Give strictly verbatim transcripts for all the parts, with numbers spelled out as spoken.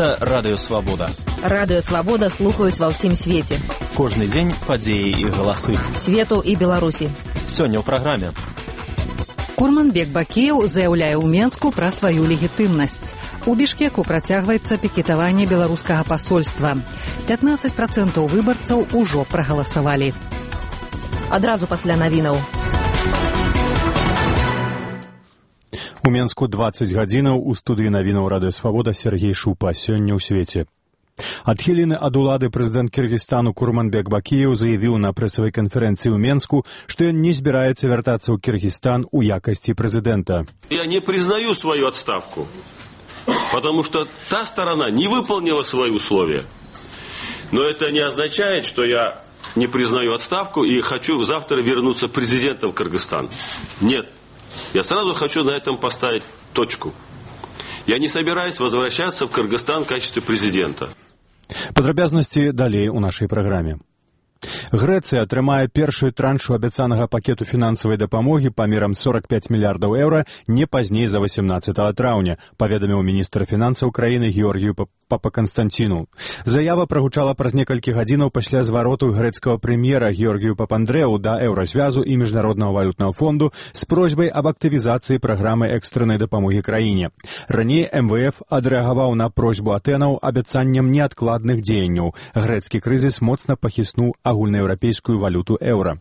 Гэта Радыё Свабода. Радыё Свабода слухаюць ва ўсім свеце. Кожны дзень падзеі і галасы. Свету і Беларусі. Сёння ў праграме. Курманбек Бакіеў заяўляе ў Менску пра сваю легітымнасць. У Бішкеку працягваецца пікетаванне беларускага пасольства. пятнаццаць працэнтаў выбарцаў ужо прагаласавалі. Адразу пасля навінаў. У Менску дваццаць гадзінаў, у студыі навінаў Радыё Свабода Сергей Шупа. Сёння ў свеце. Адхілены ад улады прэзідэнт Кыргызстану Курманбек Бакіеў заявіў на прэсавай канферэнцыі ў Менску, што ён не збіраецца вяртацца ў Кыргызстан у якасці прэзідэнта. Я не признаю свою отставку, потому что та сторона не выполнила свои условия. Но это не означает, что я не признаю отставку и хочу завтра вернуться президентом в Кыргызстан. Нет. Я сразу хочу на этом поставить точку. Я не собираюсь возвращаться в Кыргызстан в качестве президента. Падрабязнасці далей у нашай праграме. Грэцыя атрымае першую траншу абяцанага пакету фінансавай дапамогі памерам сорок пять мільярдаў еўра не пазней за восемнадцатага траўня, паведаміў міністр фінансаў краіны Георгію Папаканстанціну. Заява прагучала праз некалькі гадзінаў пасля звароту грэцкага прэм'ера Георгію Папандрэу да Еўразвязу і Міжнароднага валютнага фонду з просьбай аб актывізацыі праграмы экстраннай дапамогі краіне. Раней эм вэ эф адрэагаваў на просьбу Атэнаў абяцаннем неадкладных дзеянняў. Грэцкі крызіс моцна пахіснуў агульнаеўрапейскую валюту еўра.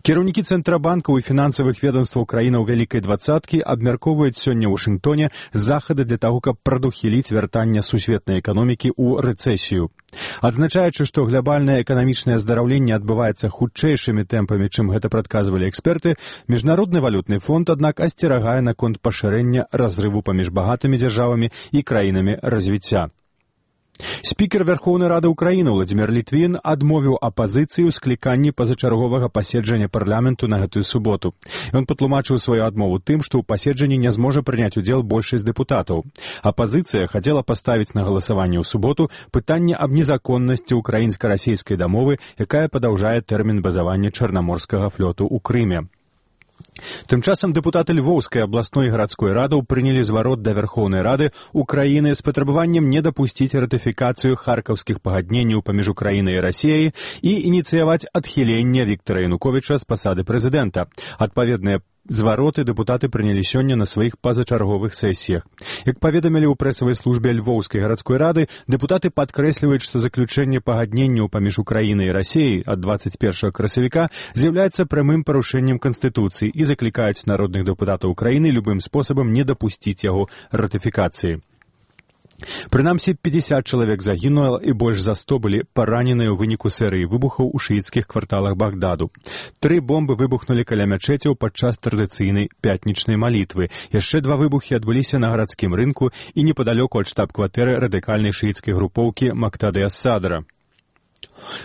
Кіраўнікі цэнтрабанкаў і фінансавых ведомстваў краінаў Вялікай дваццаткі абмяркоўваюць сёння ў Вашынгтоне захады для таго, каб прадухіліць вяртанне сусветнай эканомікі ў рэцэсію. Адзначаючы, што глобальнае эканамічнае аздараўленне адбываецца хутчэйшымі тэмпамі, чым гэта прадказвалі эксперты, Міжнародны валютны фонд, аднак, асцерагае наконт пашырэння разрыву паміж багатымі дзяржавамі і краінамі развіцця. Спікер Верхоўнай Рады Ўкраіны Владзімір Літвін адмовіў апазіцыі ў скліканні пазачарговага паседжання парламенту на гэтую суботу. Ён патлумачыў сваю адмову тым, што ў паседжанні не зможа прыняць удзел большасць дэпутатаў. Апазіцыя хацела паставіць на галасаванне ў суботу пытанне аб незаконнасці ўкраінска-расейскай дамовы, якая падаўжае тэрмін базавання чарнаморскага флоту ў Крыме. Тым часам дэпутаты Львоўскай абласной і гарадской радаў прынялі зварот да Верхоўнай Рады Украіны з патрабаваннем не дапусціць ратыфікацыю харкаўскіх пагадненняў паміж Украінай і Расіяй і ініцыяваць адхіленне Віктара Януковіча з пасады прэзідэнта. Адпаведныя звароты дэпутаты прынялі сёння на сваіх пазачарговых сесіях. Як паведамілі ў прэсавай службе Львоўскай гарадской рады, дэпутаты падкрэсліваюць, што заключэнне пагадненняў паміж Украінай і Расіяй ад дваццаць першага красавіка з'яўляецца прамым парушэннем Канстытуцыі і заклікаюць народных дэпутатаў Украіны любым спосабам не дапусціць яго ратыфікацыі. Прынамсі, пятьдесят чалавек загінула і больш за сто былі параненыя ў выніку серыі выбухаў у шыіцкіх кварталах Багдаду. Тры бомбы выбухнулі каля мячэцяў падчас традыцыйнай пятнічнай малітвы. Яшчэ два выбухі адбыліся на гарадскім рынку і непадалёку ад штаб-кватэры радыкальнай шыіцкай групоўкі Мактады ас-Садра.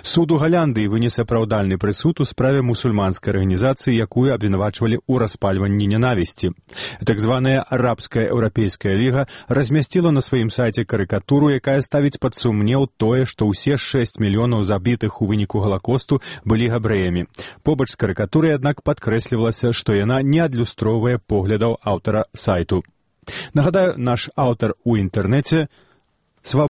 Суд у Галяндыі вынес апраўдальны прысуд у справе мусульманскай арганізацыі, якую абвінавачвалі ў распальванні нянавісці. Так званая арабская еўрапейская ліга размясціла на сваім сайце карыкатуру, якая ставіць пад сумнеў тое, што ўсе шэсць мільёнаў забітых у выніку Галакосту былі габрэямі. Побач з карыкатурай, аднак, падкрэслівалася, што яна не адлюстроўвае поглядаў аўтара сайту. Нагадаю, наш аўтар у інтэрнэце